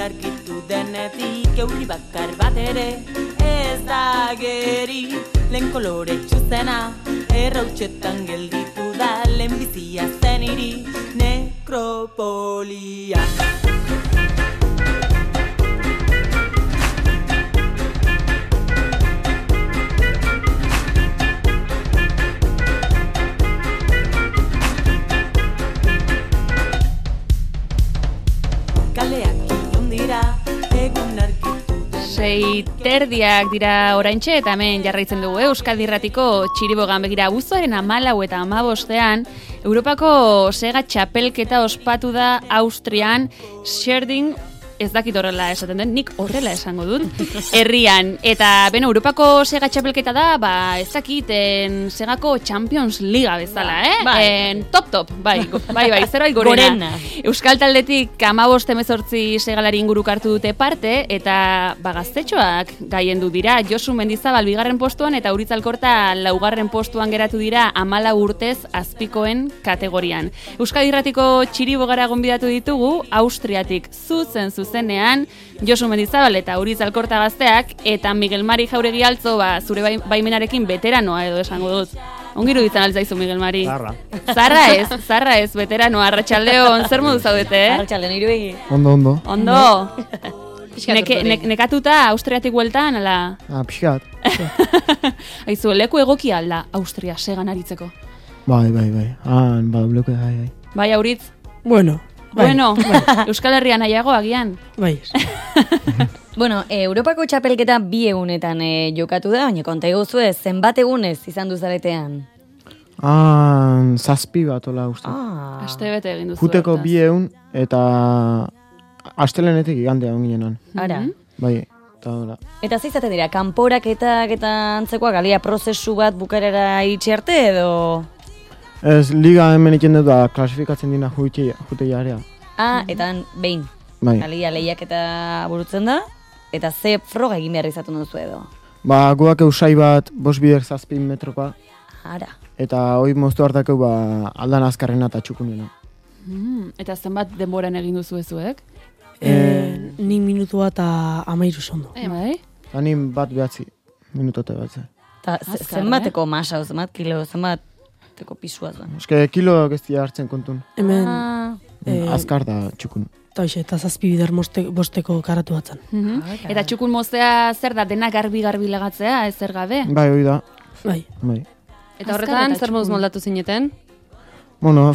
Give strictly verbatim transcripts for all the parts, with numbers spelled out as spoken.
argitu denetik, euri bakar bat ere ez da geri. Lehen kolore txuzena, errautxetan gelditu da, lehen bizia zen hiri, nekropolia. Sei terdiak dira oraintxe eta hemen jarraitzen dugu Euskadi Irratiko Txiribogan begira abuztuaren hamalau eta hamabostean Europako sega txapelketa ospatu da Austrian Scherding, ez dakit horrela esaten den, nik horrela esango dut, herrian. Eta, beno, Europako sega txapelketa da, ba, ez dakiten segako Champions Liga bezala, eh? Bai. En, top, top, bai, bai, bai, zerbait gorena. gorena. Euskal taldetik hamabost hemezortzi segalari inguruk hartu dute parte, eta, ba, gaztetxoak gaiendu dira. Josu Mendizabal bigarren postuan, eta Uritz Alkorta laugarren postuan geratu dira hamalau urtez azpikoen kategorian. Euskadi Irratiko Txiribogara gonbidatu ditugu, Austriatik zuzen zuzen zenean, Josu Mendizabal eta Uritz Alkorta gazteak, eta Miguel Mari Jauregi Altzo, ba, zure baimenarekin veteranoa edo esango dut. Ongiru ditzen altzaizu, Miguel Mari. Zarra. Zarra ez, zarra ez, veteranoa. Arratsaldeon, zer modu zaudete, eh? Arratsaldeon, iruegi. Ondo, ondo. Ondo. Neke, ne, nekatuta Austriatik bueltan, ala? Ah, pixkat. Aizu, leku egoki alda Austria segan aritzeko. Bai, bai, bai. Ah, badableku, bai, bai. Bai, Auritz? Bueno. Bueno, Euskal Herrian nahiago agian. Bai. Bueno, e, Europako txapelketa bi egunetan e, jokatu da, baina konta eguzue, zenbat egunez izan duzaretean? Ah, zazpi bat, hola, uste. Ah. Aste bete egin duzu. Juteko bi egun, eta astelenetik igandea onginenan. Ara. Bai, eta hola. Eta zeizate dira, kanporaketak eta antzekoak, alia prozesu bat bukarera itxi arte edo... Ez, liga hemen iken dut da, klasifikatzen dina jute jarea. Ah, eta behin. Bai. Alia lehiak eta burutzen da, eta ze froga egin behar izatu duzu edo. Ba, guak eusai bat, bost bider zazpin metrokoa, Ara. eta hoi moztu hartakeu, ba, aldan azkarrena eta txukunena. Mm, eta zenbat denboran egin duzu ezuek? Eh, nik minutua eta amairu sondo. E, bai? Eta nin bat behatzi, minutote batze. Ta, Azkar, zenbateko masa, zenbat kilo, zenbateko pisua da. Eske kilo geztia hartzen kontun. Hemen, Ah. eh, Azkar da txukun. eta hoxe, eta zazpi bider moste, bosteko karatu batzen. Mhm. Eta txukun moztea zer da, dena garbi-garbi legatzea, ez zer gabe? Bai, hoi da. Bai. Bai. Eta horretan, zer moduz txukun. moldatu zineten? Bueno,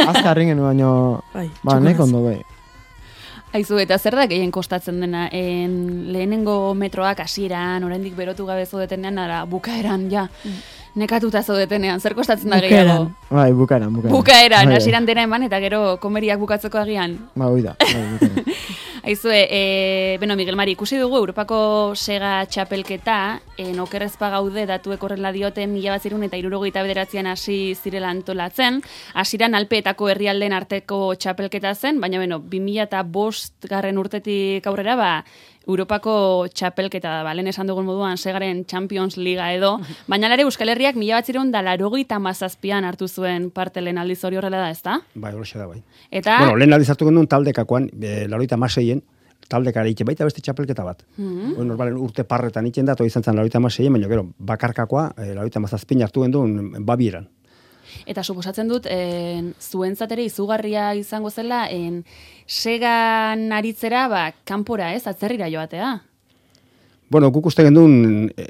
azkarren genuen, baina, Bai, ba, txukunaz. nek ondo, bai. Aizu, eta zer da gehien kostatzen dena? En, lehenengo metroak hasieran, oraindik berotu gabe zaudetenean, ara, bukaeran, ja. Nekatuta zaudetenean, zer kostatzen da gehiago? Bai, bukaeran, bukaeran. Bukaeran, Bai, hasieran dena eman, eta gero komeriak bukatzeko agian. Ba, hoi da, bai, bukaeran. Aizue, e, beno, Miguel Mari, ikusi dugu Europako sega txapelketa, en okerrezpa gaude datuek horrela diote mila bat zirun eta hirurogeita bederatzean hasi zirela antolatzen. Hasieran Alpeetako herrialdeen arteko txapelketa zen, baina beno, bi mila eta bost garren urtetik aurrera, ba, Europako txapelketa da, ba, lehen esan dugun moduan segaren Champions Liga edo, baina lare Euskal Herriak mila bat zirun da larogeita mazazpian hartu zuen parte lehen aldiz hori horrela da, ezta? Bai, horixe da, bai. Eta... Bueno, lehen aldiz hartu genuen taldekakoan, e, laroita maseien, taldekara ite baita beste txapelketa bat. Mhm. Bueno, normalen urte parretan iten da, toi izan zen laroita maseien, baina gero, bakarkakoa, e, laroita mazazpin hartu genuen babieran. Eta suposatzen dut, en, zuentzat ere izugarria izango zela, en, segan aritzera, ba, kanpora ez, atzerrira joatea. Bueno, guk uste genduen, e,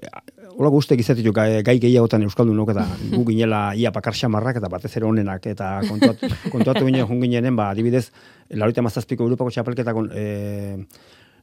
hola guztek izatetu gai, gai gehiagotan euskaldunok eta gu ginela ia bakar xamarrak eta batez ere honenak eta kontuatu, kontuatu ginen jun ginenen, ba, adibidez, laroita mazazpiko Europako txapelketakon e,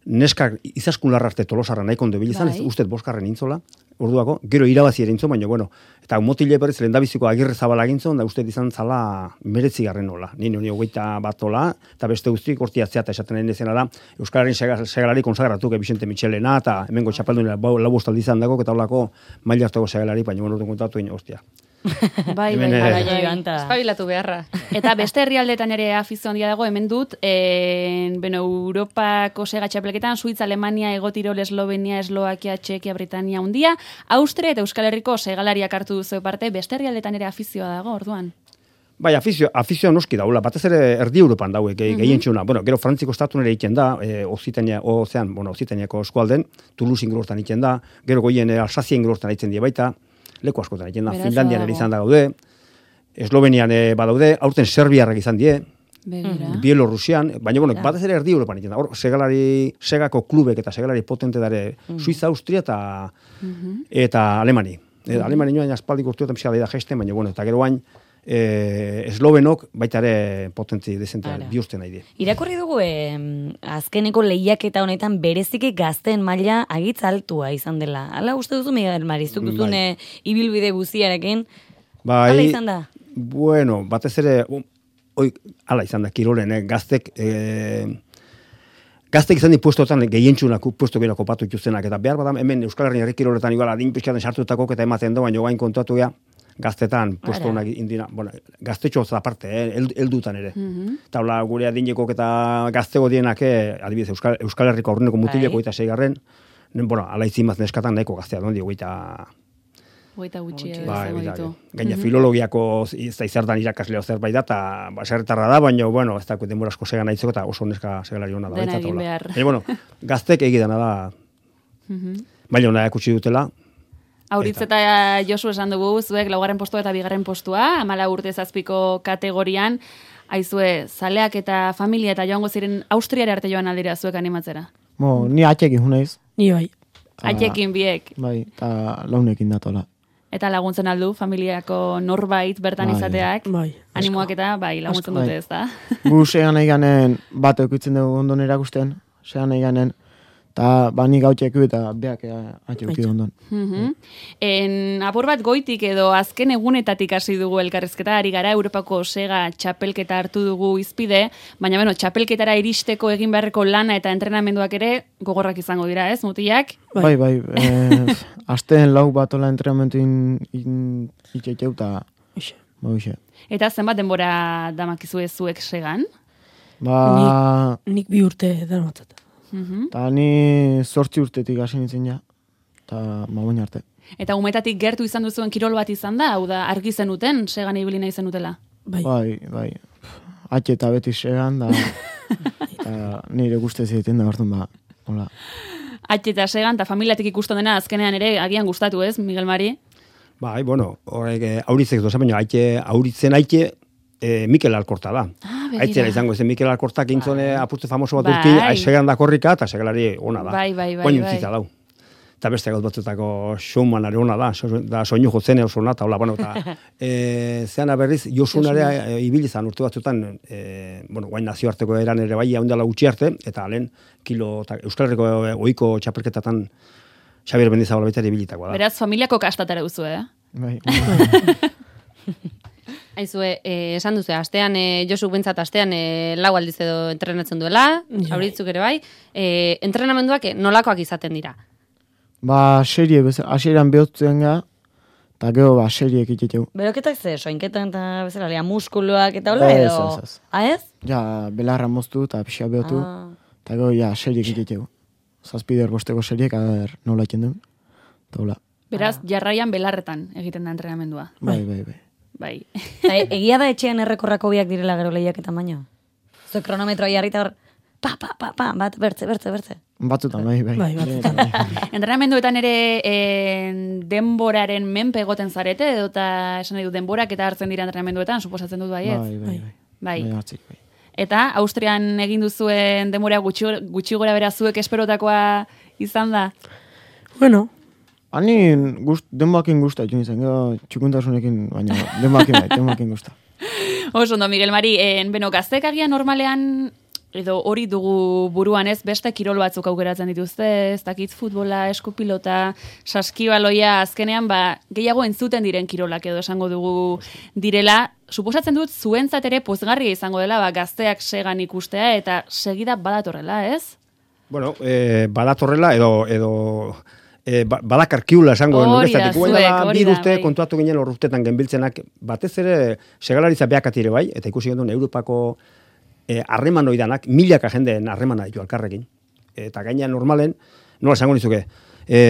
neskak izaskun larrarte tolosarra nahiko ondo bilizan, Bai. ez ustez boskarren intzola, orduako, gero irabazi ere intzon, baina, bueno, eta motile berriz lehendabiziko Agirre Zabala gintzon, da ustez izan zala meretzigarren nola. Ni noni hogeita bat ola, eta beste guztik hortiatzea eta esaten den dezena da, Euskararen segalari konsagratu, Vicente Michelena, eta hemengo txapeldun lau bostaldi izan dago, eta holako maila hartako segalari, baina, bueno, orduan kontatu egin, hostia. Bai, bai, Hemen, bai, eh, bai, Bai, bai. bai. Espabilatu beharra. Eta beste herrialdetan ere afizio handia dago, hemen dut, en, bueno, Europako sega txapelketan, Suitza, Alemania, Egotirol, Eslovenia, Eslovakia, Txekia, Britania hundia, Austria eta Euskal Herriko segalariak hartu duzu parte, beste herrialdetan ere afizioa dago, orduan. Bai, afizio, afizio noski daula, batez ere erdi Europan dauek, mm -hmm. gehientxuna. Bueno, gero Frantziko estatun ere egiten da, e, Ozitania, ozean, bueno, Ozitaniako eskualden, Toulouse ingurortan egiten da, gero goien e, Alsazia ingurortan egiten die baita, leku askotan egiten da, Finlandian ere izan da gaude, Eslovenian e, badaude, aurten Serbiarrak izan die, Begira. Bielorusian, baina bueno, batez ere erdi Europan egiten da. Hor, segalari, segako klubek eta segalari potente dare mm. Suiza, Austria eta, mm -hmm. eta Alemani. E, mm-hmm. Alemani nioan aspaldik urteotan pixka da gesten, baina bueno, eta gero bain, E, eslovenok baita ere potentzi dezentea bihurtzen nahi die. Irakurri dugu e, azkeneko lehiaketa honetan bereziki gazteen maila agitz altua izan dela. Hala uste duzu, Miguel Marizuk duzun bai. Ibilbide guziarekin? Bai, hala izan da? Bueno, batez ere, oi, hala izan da, kirolen, eh, gaztek... E, Gaztek izan di puestotan gehientxunak puesto gero kopatu ikustenak, eta behar bada hemen Euskal Herrian herri kiroletan igual adin pixkaten sartutako eta ematen da, baina gain kontuatu gea, gaztetan puesto honak indina, bueno, gaztetxo aparte, eh, heldutan ere. Mm -hmm. Taula gure adinekok eta gaztego dienak, eh, adibidez Euskal, Euskal Herriko aurreneko mutileko eta seigarren, bueno, ala izimaz neskatan nahiko gaztea, non dio, goita... Goita gutxi edo bai, bai, ditu. Gaina filologiako izertan irakasleo zerbait da, eta baserretarra da, baina, bueno, ez da, denbora asko segan nahitzeko, eta oso neska segalari hona da. Dena egin behar. Baina, bueno, gaztek egidana da, baina hona ekutsi dutela. Auritz eta Josu esan dugu, zuek laugarren postua eta bigarren postua, amala urte zazpiko kategorian, aizue, zaleak eta familia eta joango ziren Austriara arte joan aldira zuek animatzera? Mo, ni atxekin hunaiz. Ni bai. Atxekin biek. Bai, eta launekin datola. Eta laguntzen aldu, familiako norbait bertan bai, izateak, bai, animoak eta bai, laguntzen dute ez da. Gu segan nahi ganen, bat eukitzen dugu ondon erakusten, segan nahi ganen, eta bani gautxeku eta beak atxeuki ondon. Mm -hmm. En apur bat goitik edo azken egunetatik hasi dugu elkarrezketa, ari gara Europako sega txapelketa hartu dugu izpide, baina bueno, txapelketara iristeko egin beharreko lana eta entrenamenduak ere gogorrak izango dira, ez, mutilak? Bai, bai, bai eh, azten lau batola entrenamentu in itxetxeu eta bauxe. Eta zenbat denbora damakizu ez zuek segan? Ba... Nik, nik bi urte darmatzat. Eta ni zortzi urtetik hasi nintzen ja, eta magoin arte. Eta umetatik gertu izan duzuen kirol bat izan da, hau da, argi zenuten, segan ibili nahi zenutela? Bai, bai, bai. Atxe eta beti segan, da, eta nire guztez egiten da, hartun ba, hola. Atxe eta segan, eta familiatik ikusten dena azkenean ere, agian gustatu ez, Miguel Mari? Bai, bueno, horrek auritzek doza, baina aitxe, auritzen aitxe, E, Mikel Alkorta da. Ah, Aitzera izango zen Mikel Alkortak intzone apurte famoso bat urkin, segan da korrika, eta segalari ona da. Bai, bai, bai. Oin utzita dau. Eta beste gauz batzutako showmanare ona da, so, da soinu jotzen oso ona, eta hola, bueno, eta e, zeana berriz, Josunare e, ibili zan urte batzutan, e, bueno, guain nazioarteko eran ere bai, haundela gutxi arte, eta lehen, kilo, ta, Euskal Herriko ohiko txapelketatan Xabier Mendizabal baita ibilitakoa da. Beraz, familiako kastatara duzu, eh? Bai. Aizue, eh, esan duzu, astean, eh, Josu bentsat astean eh, lau aldiz edo entrenatzen duela, ja. Auritzuk ere bai, eh, entrenamenduak eh, nolakoak izaten dira? Ba, serie, hasieran behotzen ga, eta gero, ba, seriek itetu. Beroketak ze, soinketan eta bezala, lea muskuluak eta hola edo? Ez, ez, ez. Ah, ez? Ja, belarra moztu eta pixka behotu, eta gero, ja, seriek itetu. Zazpider bosteko seriek, ader, nola iten duen, eta hola. Beraz, jarraian belarretan egiten da entrenamendua. Bai, bai, bai. Bai. Egia da etxean errekorrako biak direla gero lehiak eta baino? Zue kronometroa jarrita hor, pa, pa, pa, pa, bat, bertze, bertze, bertze. Batzutan, bai, bai. Bai, batzutan. Entrenamenduetan ere e, denboraren menpe egoten zarete, edo eta esan nahi du denborak eta hartzen dira entrenamenduetan, suposatzen dut bai, ez? Bai, bai, bai. Bai. Bai, hartzik, bai. Eta Austrian egin duzuen denbora gutxi, gutxi gora bera zuek esperotakoa izan da? Bueno, Ani gust, denbakin guzta joan izan, gero txukuntasunekin, baina denbakin bai, denbakin guzta. Oso ondo, Miguel Mari, en, beno, gaztek agian normalean, edo hori dugu buruan ez, beste kirol batzuk aukeratzen dituzte, ez dakit futbola, eskupilota, saskibaloia, azkenean, ba, gehiago entzuten diren kirolak edo esango dugu direla, suposatzen dut zuentzat ere pozgarria izango dela, ba, gazteak segan ikustea, eta segida badatorrela, ez? Bueno, eh, badatorrela edo... edo... E, badakarkiula esango nurestatik. Bi urte kontuatu ginen horruztetan genbiltzenak, batez ere segalaritza beakatire bai, eta ikusi gendun Europako harreman e, oidanak, milaka jendeen harremana ditu alkarrekin. Eta gaina normalen, nola esango nizuke, e,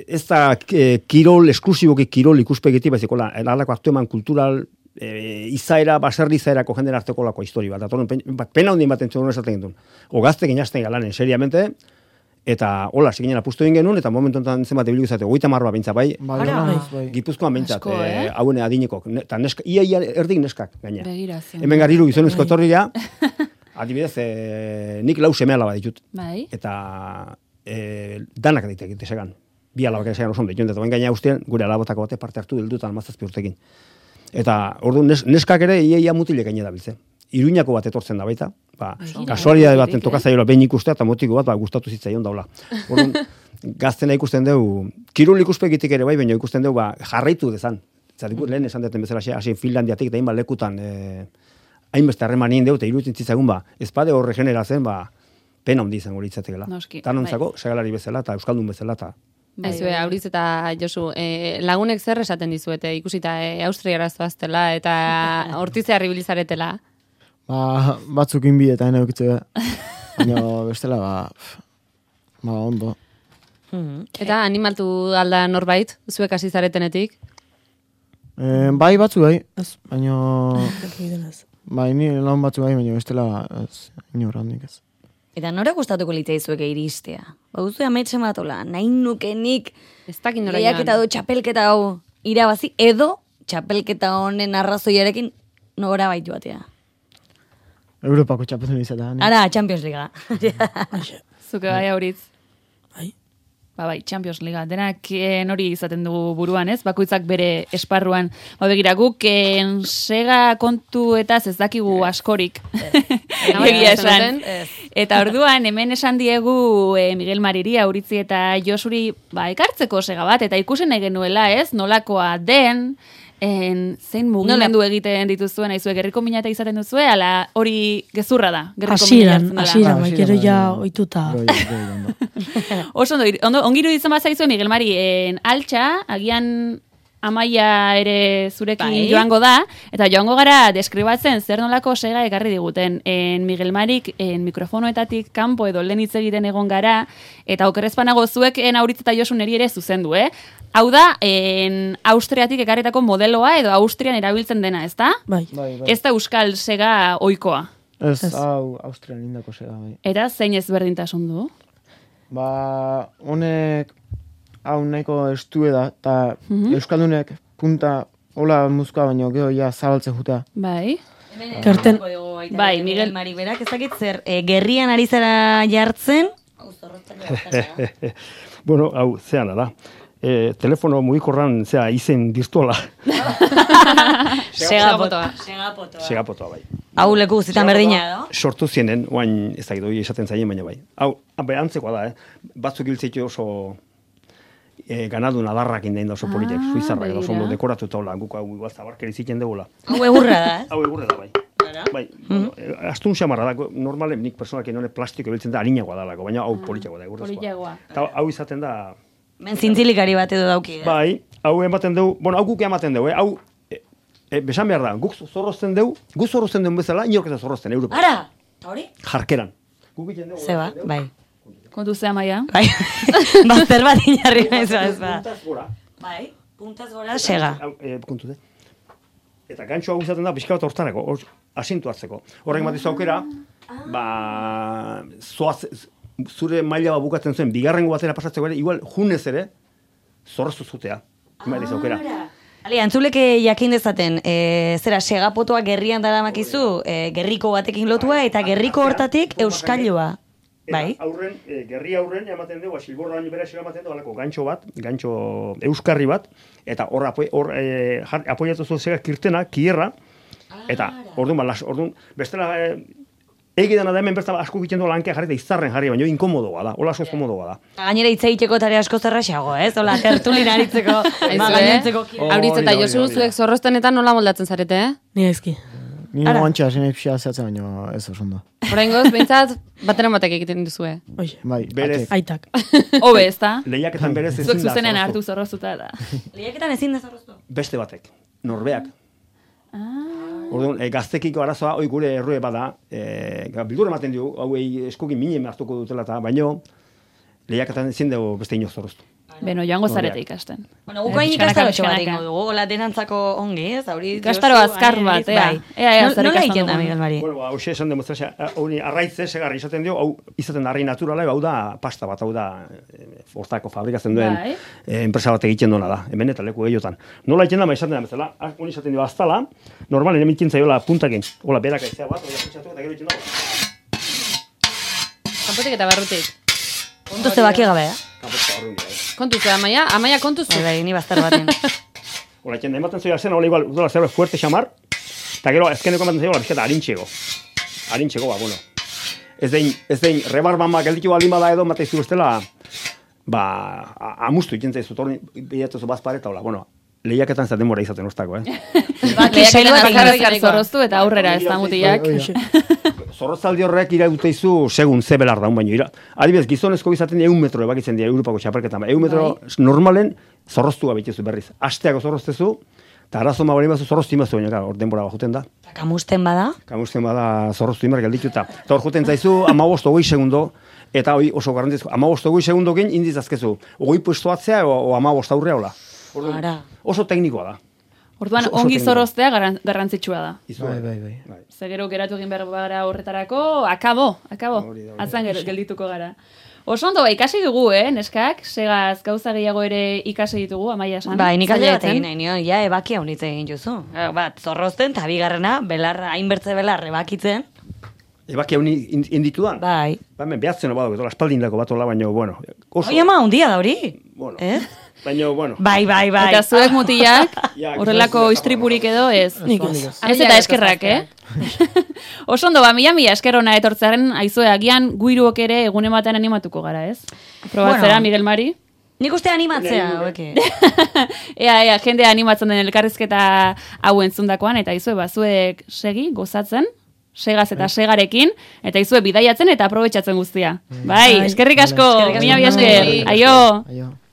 ez da e, kirol, esklusiboki kirol ikuspegiti, baizikola, alako aktu eman kultural e, izaera, baserri izaerako jenden arteko lako histori bat. Atorun, pen, pena hundin bat entzun esaten gindun. Ogaztek inazten galanen, seriamente, eta hola, seginen apustu egin genuen, eta momentu enten zenbat ebilu izate, goita marroa bintza, bai, Bai, bai, bai. Gipuzkoan bintzat, Asko, eh? eh? hauen adinekok, eta neska, ia, ia erdik neskak, gaina. Begirazio. Hemen garriru gizonezko etorria, adibidez, eh, nik lau seme alaba ditut. Bai. Eta eh, danak ditek desegan. Bi alabak desegan oso ondo ditut, eta bain gaina guztien, gure alabotako bate parte hartu dildutan mazazpi urtekin. Eta ordu nes, neskak ere ia, ia mutilek gaine da biltzen. Iruñako bat etortzen da baita, ba, kasualidade baten tokazaiola behin ikustea, eta motiko bat, ba, gustatu zitzaion daula. Orduan, gaztena ikusten dugu, kirul ikuspegitik ere bai, baina ikusten dugu, ba, jarraitu dezan. Zatik, lehen esan deten bezala, hasi Finlandiatik, eta hainbat lekutan, eh, hainbeste harreman nien deu, eta iruditzen zitzagun, ba, ezpade horre generazen, ba, pena handi izango litzatekela. Noski, Tanontzako, segalari bezala, eta euskaldun bezala, eta Aizue, Auritz eta Josu, eh, lagunek zer esaten dizuete, ikusita eh, Austriara zoaztela eta hortizea ribilizaretela. Ba, batzuk inbi eta ene eukitze, baina bestela, ba, ba, ondo. Eta animatu alda norbait, zuek hasi zaretenetik? E, bai batzu bai, baina, Denaz. bai, ni laun batzu bai, baina bestela, ez, inor handik ez. Eta nora gustatuko litzaizueke iristea? Bauzue ametxe matola, nahi nukenik Ez dakin nora lehiaketa joan. du txapelketa hau irabazi, edo txapelketa honen arrazoiarekin nora baitu batea. Europako txapelun izatea. ni. Ara, Champions Liga. Zuke bai, Auritz. Bai. Ba, bai, Champions Liga. Denak eh, hori izaten dugu buruan, ez? Bakoitzak bere esparruan. Ba, begira, guk eh, sega kontu eta ez dakigu askorik. Egia esan. Eta orduan, hemen esan diegu eh, Miguel Mariri, Auritzi eta Josuri, ba, ekartzeko sega bat, eta ikusen nahi genuela, ez? Nolakoa den, en, zein mugimendu egiten dituzuen, aizuek gerriko minata izaten duzue, ala hori gezurra da. Gerriko Hasieran, mina hartzen dela. hasieran, Ba, bai, gero hasieran, ja bai, bai. oituta. Goi, goi, ondo. Oso ondo, ir- ondo ongiru ditzen bat zaizue Miguel Mari, en, altxa, agian Amaia ere zurekin Bai. joango da, eta joango gara deskribatzen zer nolako sega ekarri diguten. En Miguel Marik en mikrofonoetatik kanpo edo lehen hitz egiten egon gara, eta okerrezpanago zuek en Auritz eta Josu neri ere zuzendu, eh? Hau da, en Austriatik ekarritako modeloa edo Austrian erabiltzen dena, ezta? Bai. Bai, bai. Ez da euskal sega ohikoa. Ez, Ez. hau, Austrian indako sega, bai. Eta zein ezberdintasun du? Ba, honek, hau nahiko estue da, eta Mhm. Euskaldunek punta, hola muzkoa, baino gero ja zabaltzen jutea. Bai. Karten, Bai, Miguel. Mari berak ezakit zer, e, gerrian ari zara jartzen, bueno, hau, zean, ala. E, telefono mugikorran, zea, izen dirtuala. segapotoa. Segapotoa, bai. Hau leku guztietan berdina, edo? Sortu zienen, oain ez da gidoi esaten zaien, baina bai. Hau, abe, antzekoa da, eh? Batzuk hiltzeitu oso e, ganadu nadarrak indein da oso politek, suizarrak da oso ondo dekoratu taula, guk hau igual zabarkeri ziten degula. Hau egurra da, ez? Hau egurre da, bai. Bai, bueno, eh, astun xamarra da, normalen nik personalki none plastiko biltzen da harinagoa dalako, baina hau politiagoa da, egurrezkoa. Politiagoa. Eta hau izaten da, Ben zintzilikari bat edo dauki. eh? bai, hau ematen dugu, bueno, hau guk ematen dugu, eh? Hau, e, e, besan behar da, guk zorrozten dugu, guk zorrozten dugu bezala, inork ez da zorrozten, Europa. Ara, eta hori? Jarkeran. Guk egiten dugu. Zeba, bai. Kontu zea, Maia? Bai. Bazter bat inarri naiz ba, ez ba. Puntaz gora. Bai, puntaz gora sega. Hau, e, kontu de. Eta gantxo hau izaten da, pixka bat hortarako, hor, asintu hartzeko. Horrek bat aukera, ba, zoaz, zure maila bat bukatzen zuen, bigarrengo batera pasatzeko ere, igual junez ere, zorreztu zutea. Imariz aukera. Ali, antzuleke jakin dezaten, e, zera, segapotoa gerrian daramakizu, e, gerriko batekin lotua, eta gerriko hortatik euskailua. Bai. Eta aurren, e, gerri aurren ematen dugu, silborra baino bera ematen dugu, alako gantxo bat, gantxo euskarri bat, eta hor, apo, hor e, jar- apoiatu zu zega kirtena, kierra, eta orduan, ba, las, orduan, bestela, e, egidana da hemen bertan asko egiten du lankea jarri eta izarren jarri, baina inkomodoa da, hola asko komodoa da. Gainera hitz egiteko tare asko zerraxago, ez? Hola, tertulin aritzeko, ba, gainontzeko Oh, Auritz eta hori da, Josu hori da. zuek zorroztenetan nola moldatzen zarete, eh? ni ezki. Ni oantxa hasi nahi pixia zehatzen, baino ez oso ondo. Oraingoz, behintzat, bateren batek egiten duzue. Oie, Bai, Berez. aitak. Hobe, ez da? Lehiaketan berez ezin Zuek da zuzenen zorroztu. hartu zorrozuta da. Lehiaketan ezin da zorroztu. Beste batek, norbeak. Orduan, e, gaztekiko arazoa, hoi gure errue bada, e, bildur ematen dugu, hauei eskukin minen hartuko dutela eta, baino, lehiaketan ezin dugu beste inoz zorroztu. Beno, joango zarete ikasten. Bueno, gukain ikastarotxo bat ingo dugu, hola denantzako ongi, ez? Ikastaro azkar bat, ea. Ea, ea, zer nola ikasten iken da, dugu. Miguel Mari? Bueno, ba, hauxe esan demostrazia, hori arraitze, segarri izaten dio, hau izaten da arrai naturala, hau da pasta bat, hau da hortako fabrikatzen duen Bai. eh, enpresa bat egiten duena da, hemen eta leku gehiotan. Nola iken da, ma izaten da bezala, hori izaten dio aztala, normalen emitzen zaiola puntakin, hola berak aizea bat, hori aputxatu eta gero itzen dago. Kanpotik eta barrutik. Kontuzte baki gabe, eh? Kanpotik barruin dira, eh. Kontuzu, amaia, amaia kontuzu. Bai, bai, ni bastar baten. Hola iken da, ematen zoia zen, hola igual, dola zerbait fuerte xamar, eta gero azkeneko ematen zaiola bizketa harintxego. Harintxego, ba, bueno. Ez dein, ez dein, rebarban ba, gelditu baldin bada edo, mata izu bestela, ba, a- amustu iken zaizu, torni, bilatuzu bazpare, eta hola, bueno, lehiaketan zaten denbora izaten ostako, eh? Lehiaketan bat azkar egin azkar zorroztu eta aurrera ez da mutilak. Zorrotzaldi horrek iraute izu segun ze belar daun baino. Ira. Adibidez, gizonezko izaten egun metro ebakitzen dira Europako txapelketan. Egun metro normalen zorroztua behitezu berriz. Asteako zorroztezu, eta arazo ma bali bazu zorroztu imazu baina, hor denbora bajuten da. Kamusten bada, Kamusten bada zorroztu imar gelditu eta. Eta hor juten zaizu amabost hogei segundo, eta hori oso garrantzizko, amabost hogei segundokin indiz azkezu. Hogei puesto atzea o, o amabost aurrea hola. Orduan, Ara. oso teknikoa da. Orduan, Oso- oso ongi teknikoa. zorroztea garran- garrantzitsua da. Izu, Bai, bai, bai. bai. Ze gero geratu egin behar gara horretarako, akabo, akabo, Hori da, hori da. atzan gero geldituko gara. Oso ondo, ba, ikasi dugu, eh, neskak, segaz gauza gehiago ere ikasi ditugu, Amaia esan. bai, nik alde bat Zailatzen. egin nahi nion, ja, ebaki haunitze egin juzu. Bat, zorrozten, eta bigarrena, belarra, hainbertze belar, ebakitzen. Ebaki hau inditu da? Bai. Ba, hemen behatzen badago, edo aspaldindako bat hola, baina, bueno, oso, Oi, ama, hundia da hori. bueno, Ez? baina, bueno, Bai, bai, bai. Eta zuek mutilak, Ja, horrelako gizon- istripurik edo ez. Nik ez. Ez eta eskerrak, eh? Oso ondo, ba, mila mila esker ona etortzearen, aizue, agian guiruok ere egunen batean animatuko gara, ez? Probatzera, Bueno. Miguel Mari? Nik uste animatzea, haueke. Ea, ea, jendea animatzen den elkarrizketa hau entzundakoan, eta izue, ba, zuek segi, gozatzen, segaz eta segarekin, eta izue bidaiatzen eta aprobetxatzen guztia. Bai, eskerrik asko, Eskerrik asko. mila mila esker, aio! Aio.